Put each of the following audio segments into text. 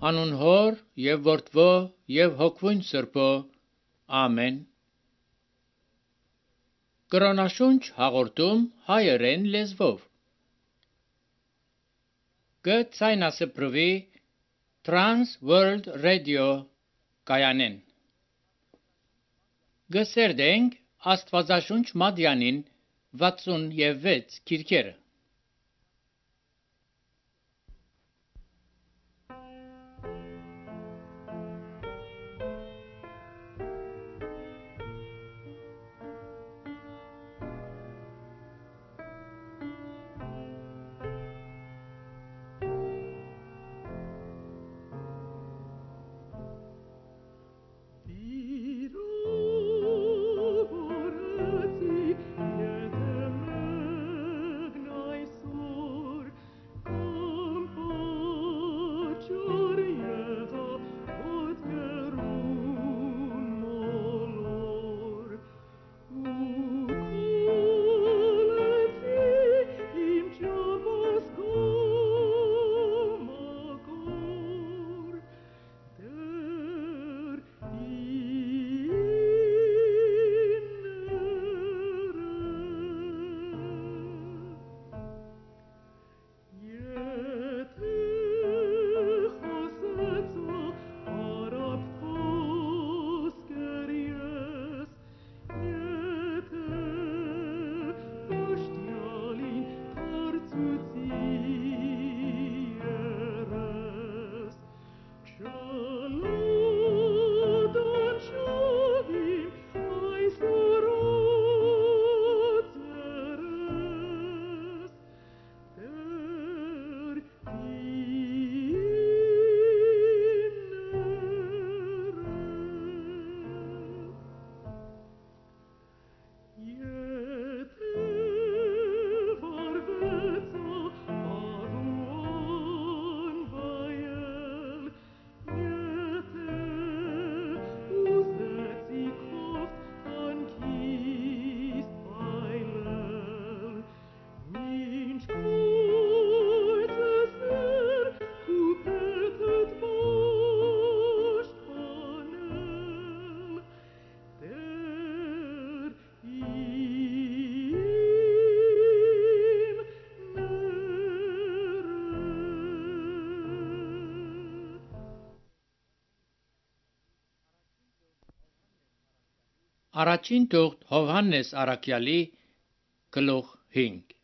Անուն Հոր եւ Որդվո եւ Հոգվուն Սրբո, ամեն։ Կրոնաշունչ հաղորդում հայերեն լեզվով։ Գցայնասպրվի Trans World Radio կայանեն։ Գսերդենք Աստվածաշունչ Մադյանին 66 քիրքերը։ Առաջին թուղթ Հովհաննես Առաքյալի գլուխ 5։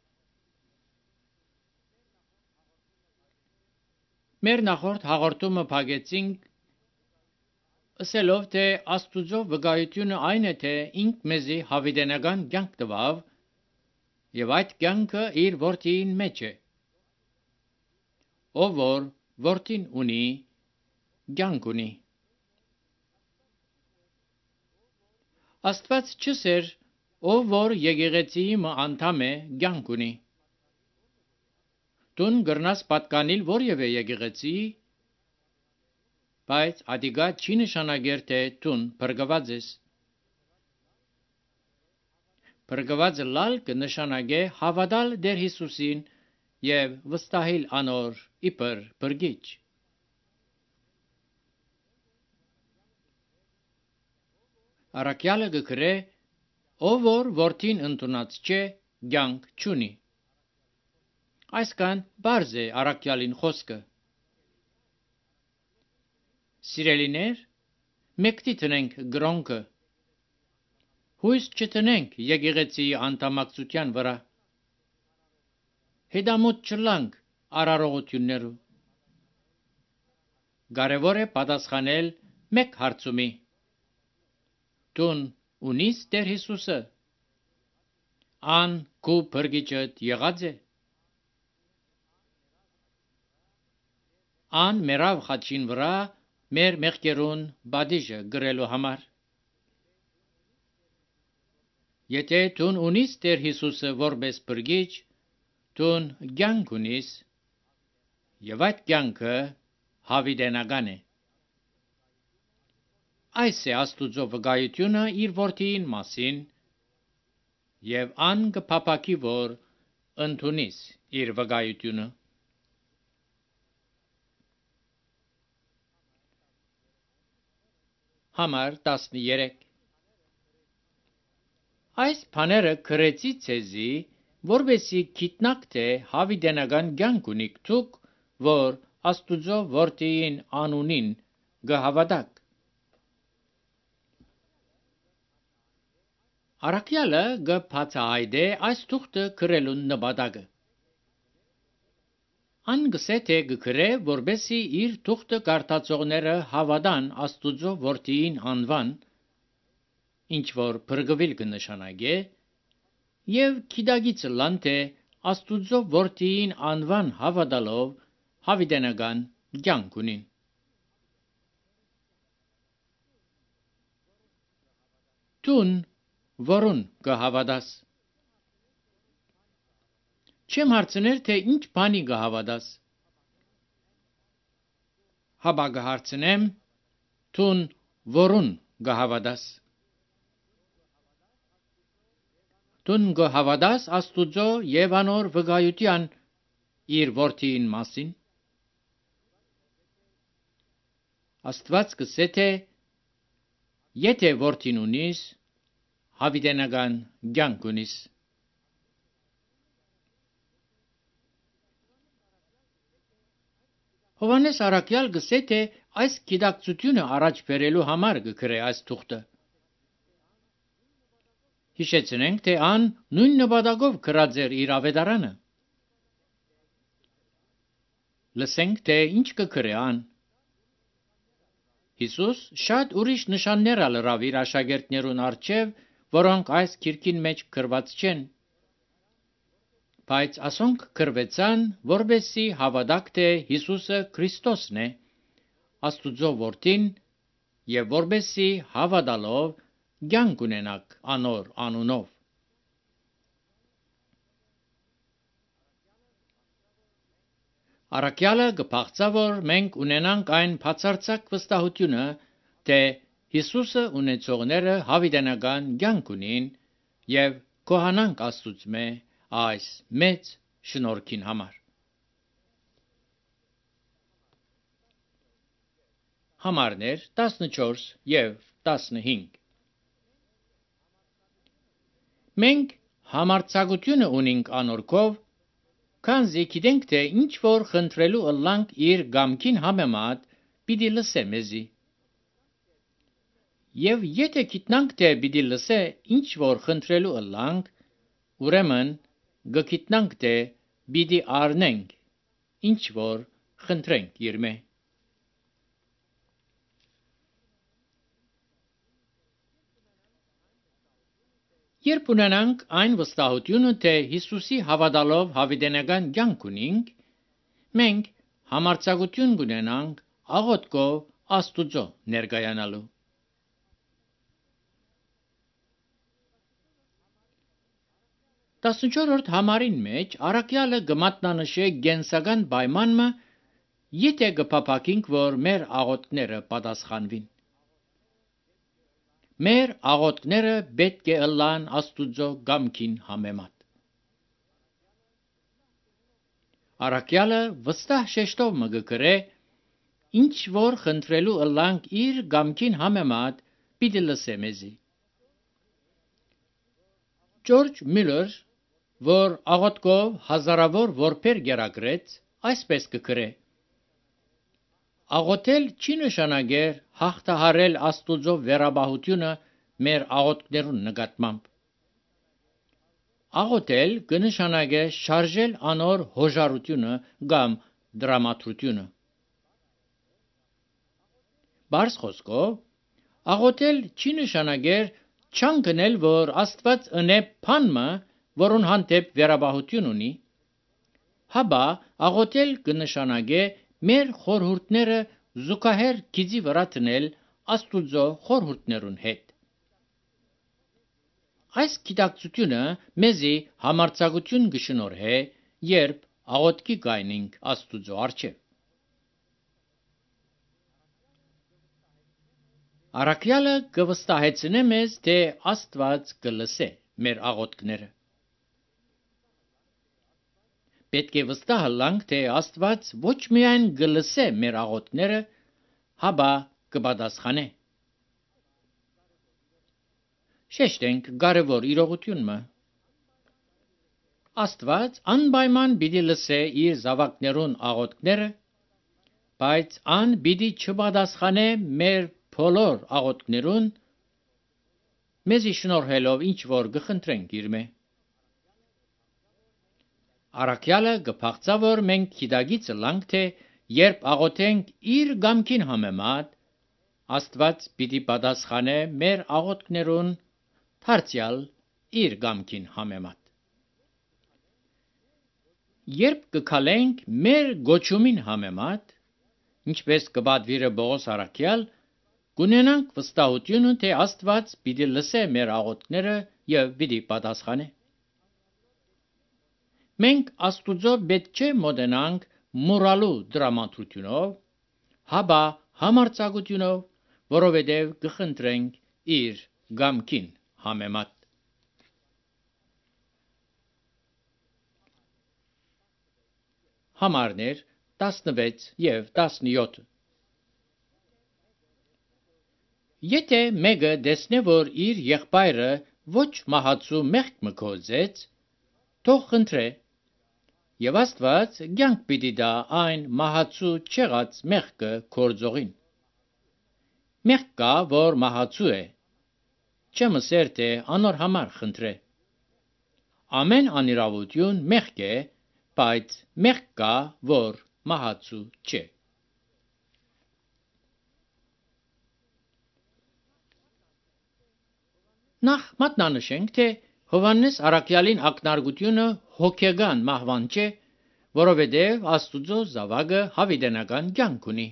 Մեր նախորդ հաղորդումը փակեցինք ասելով, թե Աստուծո վկայությունը այն է, թե ինք մեզի հավիտենական կյանք տվավ եւ այդ կյանքը իր որդին մեջ է։ Ով որ որդին ունի, կյանք ունի։ Աստված չսեր, ով որ եկեղեցիի անդամ է, կյանք ունի։ Դուն գրնաս պատկանիլ որևէ եկեղեցի, բայց ադիգա չի նշանակեր, թե դուն փրկված ես։ Փրկված լալ կնշանակե հավատալ Տեր Հիսուսին եւ վստահիլ անոր իբր փրկիչ։ Առաքյալը գկրե, ով որ որդին ընդունած չէ, կյանք չունի։ Այսքան բարձ է առաքյալին խոսքը։ Սիրելիներ, մեկտի տնենք գրոնքը։ Հույս չտնենք եկեղեցիի անդամակցության վրա։ Հետամուտ չլանք արարողություններու։ Կարևոր է պատասխանել մեկ հարցումի։ Դուն ունիս Տեր Հիսուսը։ Ան քու փրկիչդ եղած է։ Ան մերավ խաչին վրա մեր մեղքերուն բադիժը գրելու համար։ Եթե դուն ունիս Տեր Հիսուսը որպես փրկիչ, դուն կյանք ունիս, եւ այդ կյանքը հավիտենական է։ Այս է Աստուծո վկայությունը իր որդին մասին, եւ ան կփափակի, որ ընդունիս իր վկայությունը։ Համար 13 Այս բաները գրեցի ցեզի, որովհետեւ գիտնաք թե հավիտենական կյանք ունիք դուք, որ Աստուծո որդին անունին գհավատաք։ Արաքյալը գբացահայտե այս թուղթը գրելուն նպատակը։ Ան գսե թե գգրե, որբեսի իր թուղթը կարդացողները հավատան Աստուծո որդին անվան, ինչ որ բրգվել կնշանակե, եւ գիտագիծը լան թե Աստուծո որդին անվան հավատալով հավիտենական կյանք ունին։ Տուն որուն կհավատաս։ Չեմ հարցներ թե ինչ բանի կհավատաս։ Հաբա կհարցնեմ տուն որուն կհավատաս։ Տուն կհավատաս Աստուծո եւ անոր վկայության իր որդին մասին։ Աստված կսե թե եթե որդին ունիս, հավիտենական կյանք ունիս։ Հովհաննես Արաքյալ գսե թե այս գիտակցությունը առաջ բերելու համար կգրե այս թուղթը։ Հիշեցնենք, թե ան նույն նպատակով գրած էր իր ավետարանը։ Լսենք, թե ինչ կգրե ան։ Հիսուս շատ ուրիշ նշաններ ալրավ իր աշակերտներուն առջև, որոնք այս գիրքին մեջ գրված չեն։ Բայց ասոնք գրվեցան, որբեսի հավատաք թե Հիսուսը Քրիստոսն է, Աստուծո որդին, եւ որբեսի հավատալով կյանք ունենաք անոր անունով։ Արաքյալը կփաղցա, որ մենք ունենանք այն բացարձակ վստահությունը, թե Հիսուսը ունեցողները հավիտենական կյանք ունին եւ կոհանանք Աստծուծմե այս մեծ շնորհքին համար։ Համարներ 14 եւ 15 Մենք համարձակությունը ունենք անորքով, քանզի գիտենք թե ինչ որ խնդրելու ըլլանք իր գամքին համեմատ պիտի լսե մեզի։ Եվ եթե գիտնանք թե պիտի լսե ինչ որ խնդրելու ըլլանք, ուրեմն գգիտնանք թե պիտի առնենք ինչ որ խնդրենք իրմե։ Երբ ունենանք այն վստահությունը, թե Հիսուսի հավատալով հավիտենական կյանք ունենք, մենք համարձակություն կունենանք աղոթքով Աստուծո ներկայանալու։ 14-րդ համարին մեջ Արաքյալը կմատնանշե գենսական պայմանը, եթե կփափակենք, որ մեր աղոթքները պատասխանվին։ Մեր աղոթքները պետք է ըլլան Աստուծո գամքին համեմատ։ Արաքյալը վստահ շեշտով մը կգրե, ինչ որ խնդրելու ըլլանք իր գամքին համեմատ պիտի լսե մեզի։ Ջորջ Միլլեր, որ աղոթքով հազարավոր որբեր գերագրեց, այսպես կգրե. Աղոթել չի նշանակեր հաղթահարել Աստուծո վերաբահությունը մեր աղոթքներուն նկատմամբ։ Աղոթել կնշանակե շարժել անոր հոժարությունը կամ դրամատրությունը։ Բարձ խոսքով, աղոթել չի նշանակեր չանգնել, որ Աստված ընե բանմը, որուն հանդեպ վերաբահություն ունի, հաբա աղոթել կնշանակե մեր խորհուրդները զուգահեռ գիծի վրա դնել Աստուծո խորհուրդներուն հետ։ Այս գիտակցությունը մեզի համարձակություն կշնորհե, երբ աղոթքի գայնենք Աստուծո առջև։ Արաքյալը կվստահեցնե մեզ, թե Աստված կլսե մեր աղոթքները։ Պետք է վստահ լանք, թե Աստված ոչ միայն կլսե մեր աղոթքները, հաբա կպատասխանե։ շեշտենք կարևոր իրողությունը։ Աստված անպայման պիտի լսե իր զավակներուն աղոթքները, բայց ան պիտի չպատասխանե մեր բոլոր աղոթքներուն, մեզի շնորհելով ինչ որ կխնդրենք իրմե։ Առաքյալը կփախծա, որ մենք գիտագիծը լանք, թե երբ աղոթենք իր գամքին համեմատ, Աստված պիտի պատասխանե մեր աղոթքներուն դարձյալ իր գամքին համեմատ։ Երբ կքալենք մեր գոչումին համեմատ, ինչպես կպատվիրը Պողոս առաքյալ, կունենանք վստահությունը, թե Աստված պիտի լսե մեր աղոթքները եւ պիտի պատասխանե։ Մենք Աստուծո պետք չէ մոտենանք մուրալու դրամատրությունով, հաբա համարձակությունով, որովհետև կխնդրենք իր գամքին համեմատ։ Համարներ 16 եւ 17 Եթե մեկը տեսնե, որ իր եղբայրը ոչ մահացու մեղք մգոզեց, թող խնդրե, եւ Աստված կյանք պիտի տա այն մահացու չեղած մեղքը գործողին։ Մեղք կա, որ մահացու է, չմսեր թե անոր համար խնդրե։ Ամեն անիրավություն մեղք է, բայց մեղք կա, որ մահացու չէ։ Նախ մատնանշենք, թե Հովհաննես առաքյալին ակնարկությունը հոգեգան մահվան չէ, որովհետև Աստուծո զավակը հավիտենական կյանք ունի։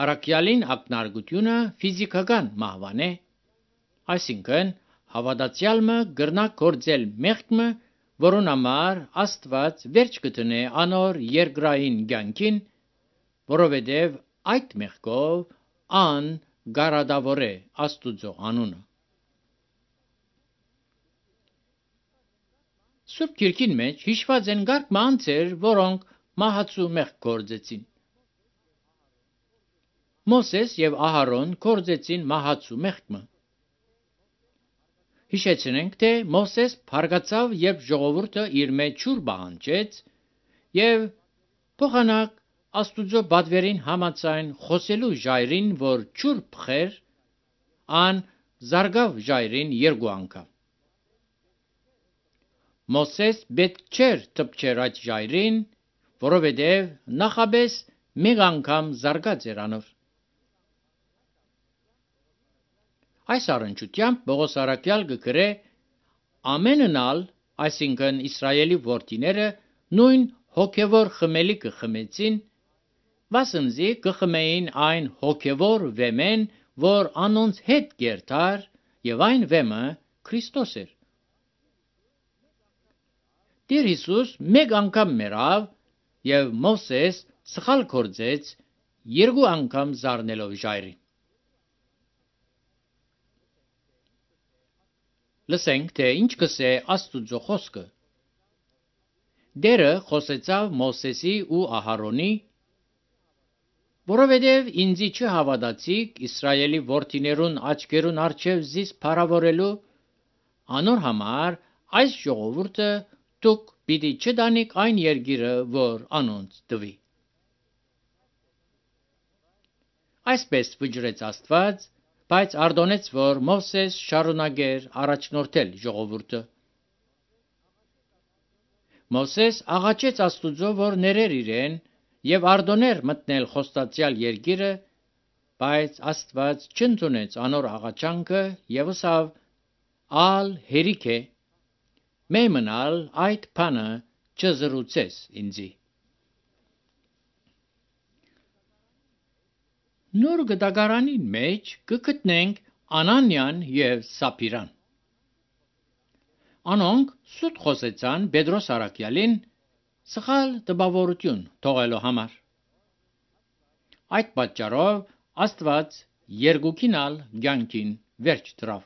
Առաքյալին ակնարկությունը ֆիզիկական մահվան է, այսինքն հավատացյալը կրնա գործել մեղքը, որուն համար Աստված վերջ կտնե անոր երկրային կյանքին, որովհետև այդ մեղքով ան գարադավոր է Աստուծո անունը։ Սուրբ Գիրքին մեջ հիշված են գարկ մանցեր, որոնք մահացու մեղք գործեցին։ Մոսես եւ Ահարոն գործեցին մահացու մեղքը։ Հիշեցնենք, թե Մոսես փարգացավ, երբ ժողովուրդը իր մեջ ջուր բանջեց եւ փոխանակ Աստուծո բադվերին համաձայն խոսելու ժայրին, որ ջուր փխեր, ան զարգավ ժայրին երկու անգամ։ Մոսես պետք չէր թփչեր այդ ժայրին, որովհետև նախաբես մեկ անգամ զարգաց էր անոր։ Այս առնչությամբ Պողոս առաքյալ կգրե ամեննալ, այսինքն Իսրայելի որդիները նույն հոգևոր խմելիքը խմեցին, վասնզի կխմեին այն հոգևոր վեմեն, որ անոնց հետ գերտար, եւ այն վեմը Քրիստոս էր։ Տեր Հիսուս մեկ անգամ մեռավ եւ Մոսես սխալ գործեց երկու անգամ զառնելով ժայրին։ Լսենք, թե ինչ կսե Աստուծո խոսքը։ Դերը խոսեցավ Մոսեսի ու Ահարոնի, որովհետև ինձի չհավատացիք Իսրայելի որդիներուն աչքերուն առջև զիս փառավորելու, անոր համար այս ժողովուրդը դուք պիտի չտանիք այն երկիրը, որ անոնց տվի։ Այսպես վճռեց Աստված, բայց արտոնեց, որ Մովսես շարունակեր առաջնորդել ժողովուրդը։ Մովսես աղաչեց Աստուծո, որ ներեր իրեն եւ արտոներ մտնել խոստացյալ երկիրը, բայց Աստված չընդունեց անոր աղաչանքը եւ ասավ. «Ալ հերիք է, մեմնալ այդ բանը չզրուցես ինձի»։ Նոր գտակարանի մեջ կգտնենք Անանյան եւ Սապիրան։ Անոնք սուտ խոսեցան Պետրոս առաքյալին սխալ տպավորություն թողելու համար։ Այդ պատճառով Աստված երկուքին ալ կյանքին վերջ դրավ։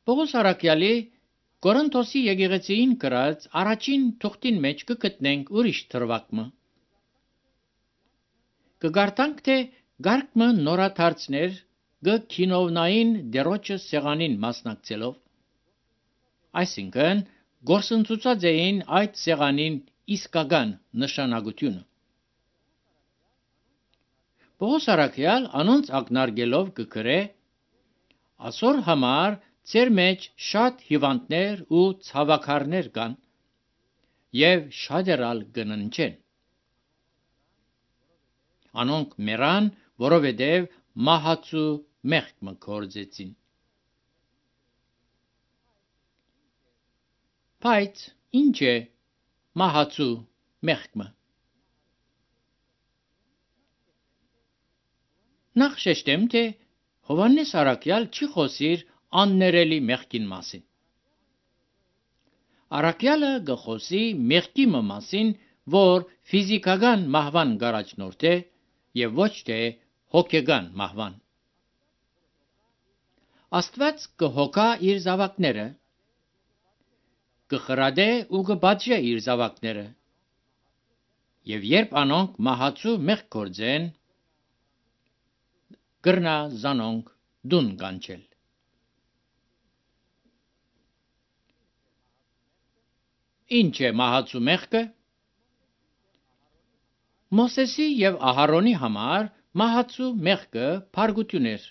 Պողոս առաքյալի Կորինթոսի եկեղեցին գրած առաջին թուղթին մեջ կգտնենք ուրիշ թրվակը։ կգարտանք թե գարկմը նորաթարցներ գքինովնային դերոջը սեղանին մասնակցելով, այսինքն գործընծուցած էին այդ սեղանին իսկական նշանակությունը։ Պողոս առաքյալ անոնց ակնարկելով կգրե. «Այսօր համար ձեր մեջ շատ հիվանդներ ու ցավաքարներ կան, եւ շատերալ կննչեն։ Անոնք մեռան, որովհետև մահացու մեղքը կործեցին»։ Բայց ինչ է մահացու մեղքը։ Նախ շեշտեմ, թե Հովհաննես առաքյալ չի խոսիր աններելի մեղքին մասին։ Առաքյալը գխոսի մեղքի մասին, որ ֆիզիկական մահվան գարաջնորդ է եւ ոչ թե հոգեգան մահվան։ Աստված կհոգա իր զավակները, կխրադե ու կբաճե իր զավակները, եւ երբ անոնք մահացու մեղք գործեն, կրնա զանոնք դուն կանչել։ Ինչ է մահացու մեղքը։ Մոսեսի եւ Ահարոնի համար մահացու մեղքը փարգություն էր։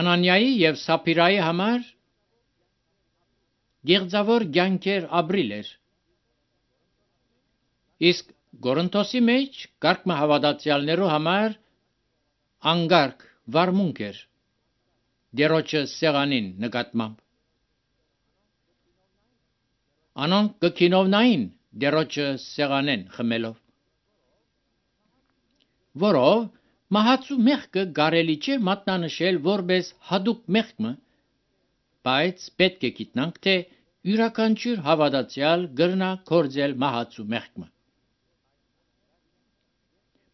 Անանիայի եւ Սափիրայի համար գեղձավոր կյանքեր ապրիլ էր։ Իսկ Գորընթոսի մեջ կարգմը հավատացյալներու համար անգարք վարմունք էր դերոջը սեղանին նկատմամբ։ Անոնք կքինովնային դերոջը սեղանեն խմելով, որով մահացու մեղքը կարելի չէ մատնանշել որպես հատուկ մեղքը, բայց պետք է գիտնանք, թե յուրաքանչյուր հավատացյալ կրնա կործել մահացու մեղքը։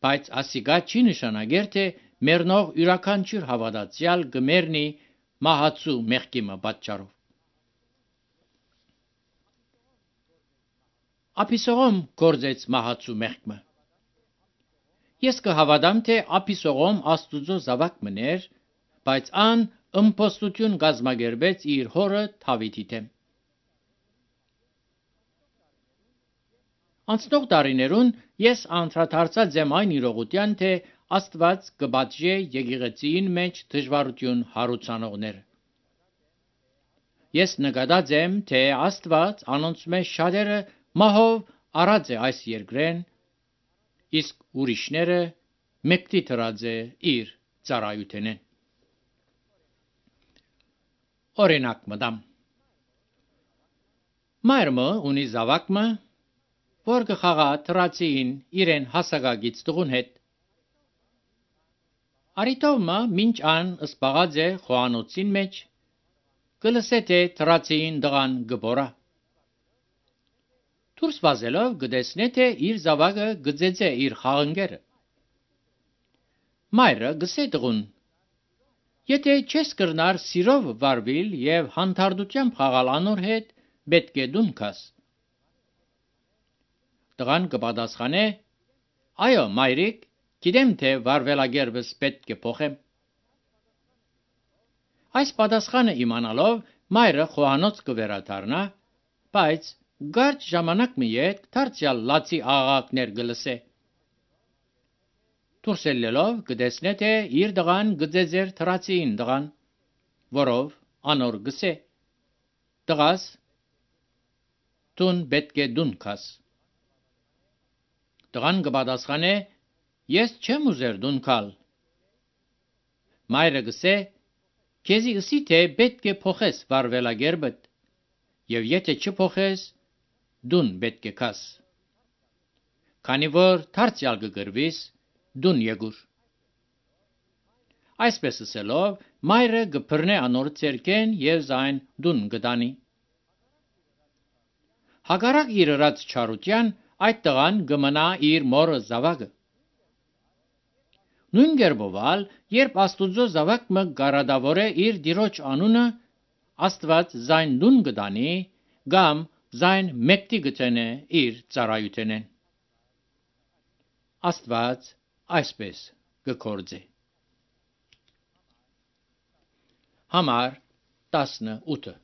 Բայց ասիկա չի նշանակեր, թե մեռնող յուրաքանչյուր հավատացյալ կմեռնի մահացու մեղքի պատճառով։ Ափիսողոմ կործեց մահացու մեղքը։ Ես կհավատամ, թե Ափիսողոմ Աստուծո զավակ մներ, բայց ան ըմբոստություն կազմակերպեց իր հորը Դավիթի դեմ։ Անցնող տարիներուն ես անդրադարձած եմ այն իրողության, թե Աստված կպատժե եկեղեցին մեջ դժվարություն հարուցանողները։ Ես նկատած եմ, թե Աստված անոնց մեջ շատերը մահով առած է այս երկրեն, իսկ ուրիշները մեկտի դրած է իր ծառայութենեն։ Օրինակ մտամ։ Մայրը ունի զավակը, որ կխաղա դրացին իրեն հասակագից տղուն հետ։ Արիտովմա մինչ ան սպաղած է խոհանոցին մեջ, կլսե թե դրացին դղան գբորա։ Դուրս վազելով կտեսնե, թե իր զավակը գծեցե իր խաղընկերը։ Մայրը գսե տղուն. «Եթե չես կրնար սիրով վարվել եւ հանդարտությամբ խաղալ անոր հետ, պետք է դուն գաս»։ Տղան կպատասխանե. «Այո, մայրիկ, գիտեմ, թե վարվելագերբս պետք է փոխեմ»։ Այս պատասխանը իմանալով մայրը խոհանոց կվերադառնա, բայց կարճ ժամանակ մի հետ դարձյալ լացի աղաղակներ կլսե։ Դուրս ելնելով կտեսնե, թե իր տղան գծեցեր դրացին տղան, որով անոր գսե. «Տղաս, դուն պետք է դուն գաս»։ Տղան կպատասխանե. «Ես չեմ ուզեր դուն գալ»։ Մայրը գսե. «Քեզի ըսի թե պետք է փոխես վարվելագերբդ, եւ եթե չփոխես, դուն պետք է գաս։ Քանի որ դարձյալ կգրվիս, դուն եկուր»։ Այսպես ասելով, մայրը կբռնե անոր ցերկեն եւ զայն դուն կտանի։ Հակառակ իր ըրած չարության, այդ տղան կմնա իր մորը զավակը։ Նույն կերպով, երբ Աստուծո զավակը գարադավորե իր դիրոջ անունը, Աստված զայն դուն կտանի կամ զայն մեկտի գտնե իր ծառայութենեն։ Աստված այսպես կգործի։ Համար 18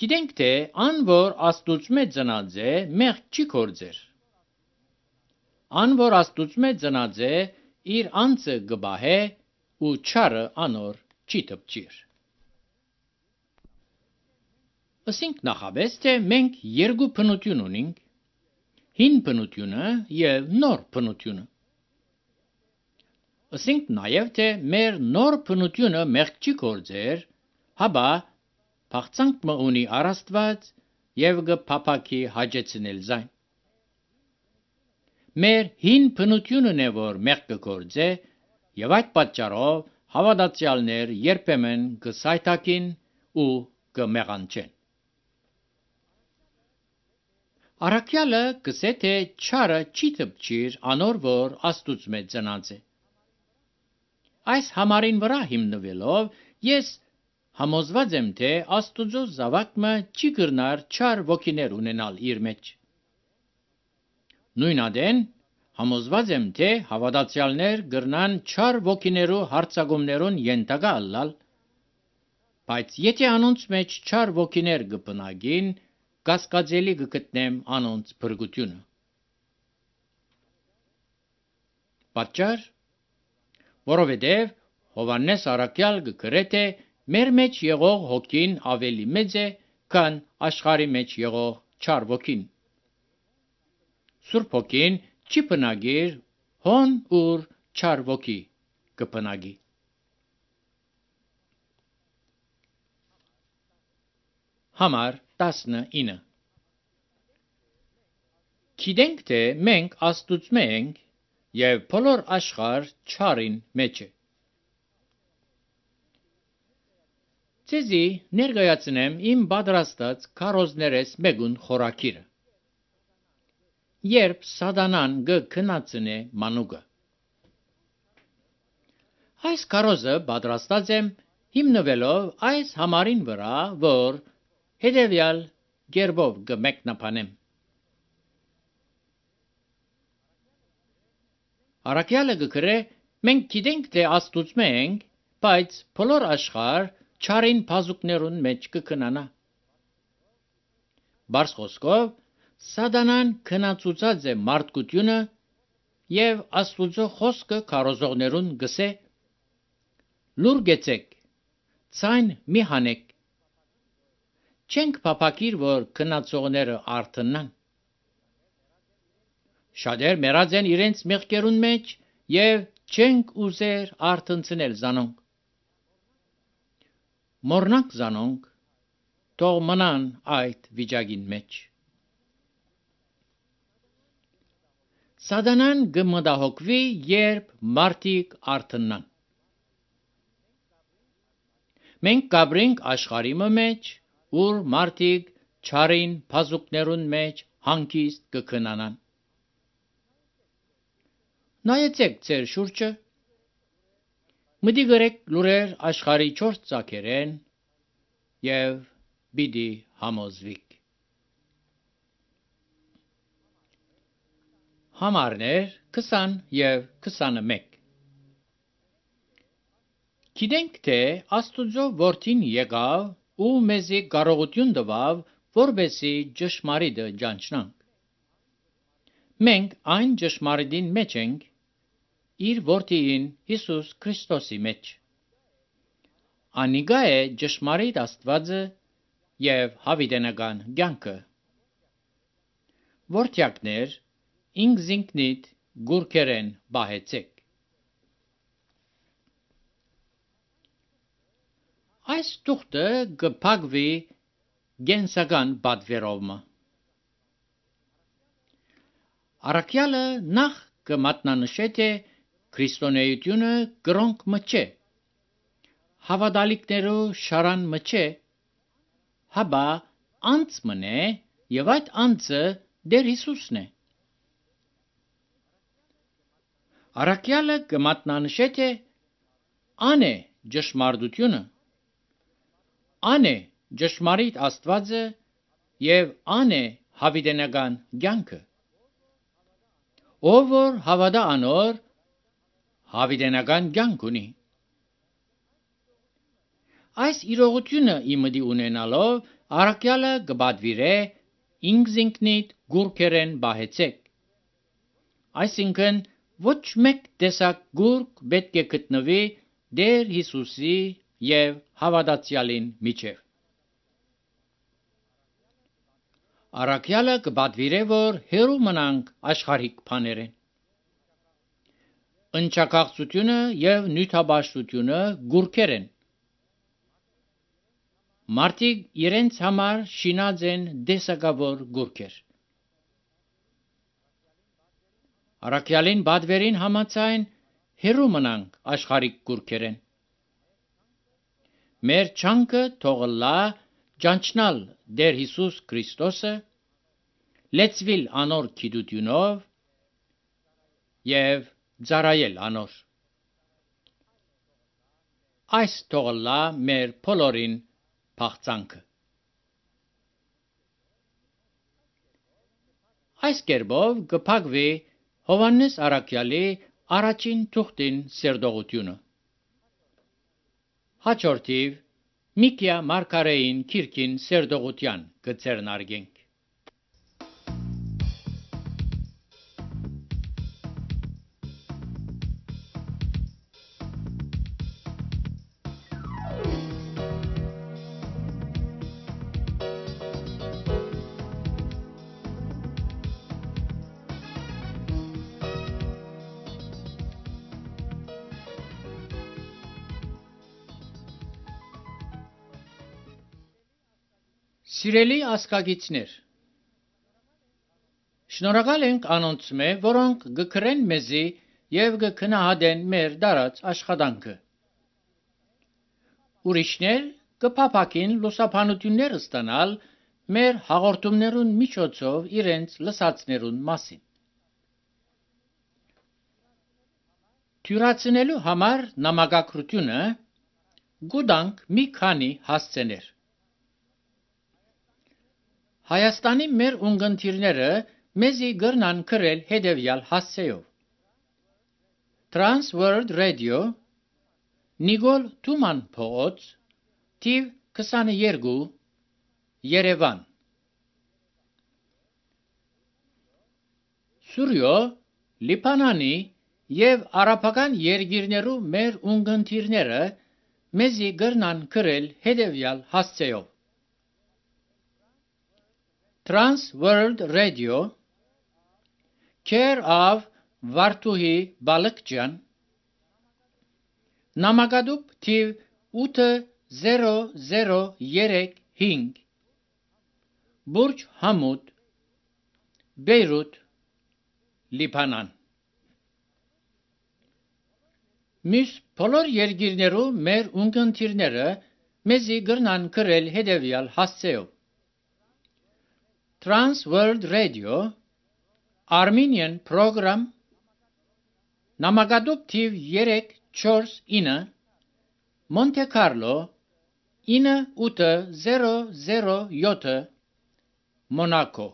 Գիտենք, թե ան որ Աստուծմե ծնած է, մեղք չի գործեր։ Ան որ Աստուծմե ծնած է, իր անձը գբահե ու չարը անոր չի տպչիր։ Ասենք նախաբես, թե մենք երկու բնություն ունենք, հին բնությունը և նոր բնությունը։ Ասենք նաև, թե մեր նոր բնությունը մեղք չի գործեր, հաբա փախցանք մը ունի առաստված և գփափակի հաջեցնել զայն։ Մեր հին բնությունն է, որ մեղք կգործե, և այդ պատճառով հավատացյալներ երբեմն կսայթաքին ու կմեղանչեն։ Առաքյալը կսե, թե չարը չի տպչիր անոր, որ Աստուծմե ծնած է։ Այս համարին վրա հիմնվելով ես համոզված եմ, թե Աստուծո զավակը չի կրնար չար ոգիներ ունենալ իր մեջ։ Նույն ադեն համոզված եմ, թե հավատացյալներ կրնան չար ոգիներու հարձակումներուն ենթակա ալալ, բայց եթե անոնց մեջ չար ոգիներ կբնակին, կասկածելի կգտնեմ անոնց փրկությունը։ Պատճառ, որովհետև Հովհաննես առաքյալ կգրե, թե մեր մեջ եղող հոգին ավելի մեծ է, քան աշխարհի մեջ եղող չար ոգին։ Սուրբ հոգին չի բնագիր հոն ուր չար ոգի կբնագի։ Համար 19 Գիտենք, թե մենք Աստուծմե ենք և բոլոր աշխարհ չարին մեջ է։ Ձեզի ներկայացնեմ իմ պատրաստած քարոզներես մեկուն խորակիրը։ Երբ սատանան կքնացնե մանուկը։ Այս քարոզը պատրաստած եմ հիմնվելով այս համարին վրա, որ հետևյալ կերպով կմեկնաբանեմ։ Առաքյալը կգրե, մենք գիտենք, թե Աստուծմե ենք, բայց բոլոր աշխարհ չարին բազուկներուն մեջ կքնանա։ Բարձ խոսքով, սատանան քնացուցած է մարդկությունը և Աստուծո խոսքը քարոզողներուն գսե. լուր գեցեք, ցայն մի հանեք, չենք փափակիր, որ քնացողները արթնան։ Շատեր մեռած են իրենց մեղքերուն մեջ և չենք ուզեր արթնցնել զանոնք։ Մորնանք զանոնք, թող մնան այդ վիճակին մեջ։ Սատանան կմտահոգվի, երբ մարդիկ արթնան։ Մենք կաբրենք աշխարհի մեջ, ուր մարդիկ չարին բազուկներուն մեջ հանգիստ կքնանան։ Նայեցեք ձեր շուրջը, մտի գրեք լուրեր աշխարհի 4 ծագերեն և պիտի համոզվիք։ Համարներ 20 և 21 Գիտենք, թե Աստուծո որդին եկավ ու մեզի կարողություն տվավ, որպեսզի ճշմարիտը ճանչնանք։ Մենք այն ճշմարիտին մեջ ենք, իր որդին Հիսուս Քրիստոսի մեջ։ Անիկա է ճշմարիտ Աստվածը և հավիտենական կյանքը։ Որդյակներ, ինքզինքնիդ գուրքերեն պահեցեք։ Այս թուղթը կփակվի կենսական պատվերով։ Առաքյալը նախ կմատնանշե, թե քրիստոնեությունը կրոնք մը չէ, հավատալիքներու շարան մը չէ, հաբա անձ մն է և այդ անձը Տեր Հիսուսն է։ Առաքյալը կմատնանշե, թե ան է ճշմարտությունը, ան է ճշմարիտ Աստվածը և ան է հավիտենական կյանքը։ ով որ հավատա անոր հավիտենական կյանք ունի։ Այս իրողությունը իմդի ունենալով առաքյալը կբադվիրե ինքնիդ գուրքերեն բահեցեք։ Այսինքն ոչ մեկ տեսակ գուրք պետք է գտնվի Տեր Հիսուսի եւ հավատացյալին միջև։ Առաքյալը կբադվիրե, որ հերու մնանք աշխարհիկ բաներեն։ Ընչակաղցությունը եւ նյութաբաշխությունը գուրքերեն։ Մարդիկ իրենց համար շինած են դեսակավոր գուրքեր։ Առաքյալին բադվերին համաձայն հերու մնանք աշխարհիկ գուրքերեն։ Մեր չանքը թողլա ճանչնալ Տեր Հիսուս Քրիստոսը, լեցվիլ անոր գիտությունով եւ ծառայել անոր։ Այս թողլա մեր բոլորին փախցանքը։ Այս կերպով կփակվի Հովհաննես առաքյալի առաջին թուղթին սերտողությունը։ Հաջորդիվ Միկիա Մարգարեին քիրքին սերտողության կցերնարգենք։ Սիրելի ասկագիցներ, շնորհակալ ենք անոնց մե, որոնք գկրեն մեզի եւ գքնահատեն մեր դարած աշխատանքը։ Ուրիշներ կփափակին լուսաբանություններ ստանալ մեր հաղորդումներուն միջոցով իրենց լսածներուն մասին։ Թյուրացնելու համար նամակագրությունը գուտանք մի քանի հասցեներ։ Հայաստանի մեր ունգընտիրները մեզի գրնան գրել հետևյալ հասցեով. Trans World Radio, Նիկոլ Թուման փողոց, թիվ 22, Երևան։ Սուրյո, Լիբանանի եւ արաբական երկիրներու մեր ունգընտիրները մեզի գրնան գրել հետևյալ հասցեով. Trans World Radio, care of Վարդուհի Բալկջյան, նամակադուփ թիվ 8035, Բուրջ Համուդ, Բեյրութ, Լիբանան։ Մյուս բոլոր երկիրներու մեր ունգընտիրները մեզի գրնան գրել հետևյալ հասցեով. Trans World Radio, Armenian Program, նամակադուփ թիվ 349, Monte Carlo, 9807, Monaco։